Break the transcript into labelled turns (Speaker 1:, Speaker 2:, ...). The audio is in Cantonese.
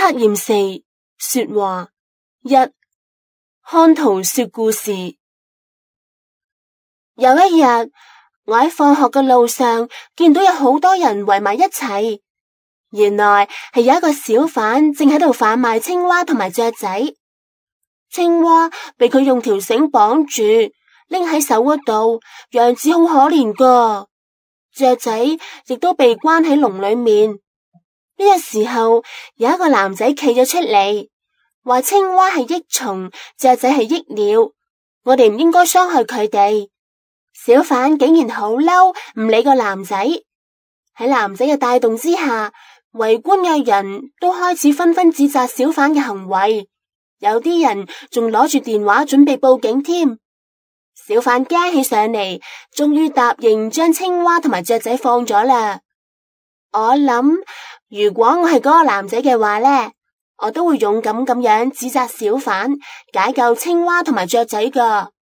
Speaker 1: 測驗4說話1，看圖說故事。有一日，我喺放學嘅路上見到有好多人圍埋一齊，原來係有一個小販正喺度販賣青蛙同埋雀仔。青蛙被佢用條繩綁住，拎喺手嗰度，樣子好可憐噶。雀仔亦都被關喺籠裏面。呢個時候，有一個男仔企咗出嚟，話青蛙係益蟲，雀仔係益鳥，我哋唔應該傷害佢哋。小販竟然好嬲，唔理個男仔。喺男仔嘅帶動之下，圍觀嘅人都開始紛紛指責小販嘅行為，有啲人仲攞住電話準備報警添。小販驚起上嚟，終於答應將青蛙同埋雀仔放咗啦。我諗，如果我係嗰個男仔嘅話呢，我都會勇敢咁樣指責小販，解救青蛙同埋雀仔噶。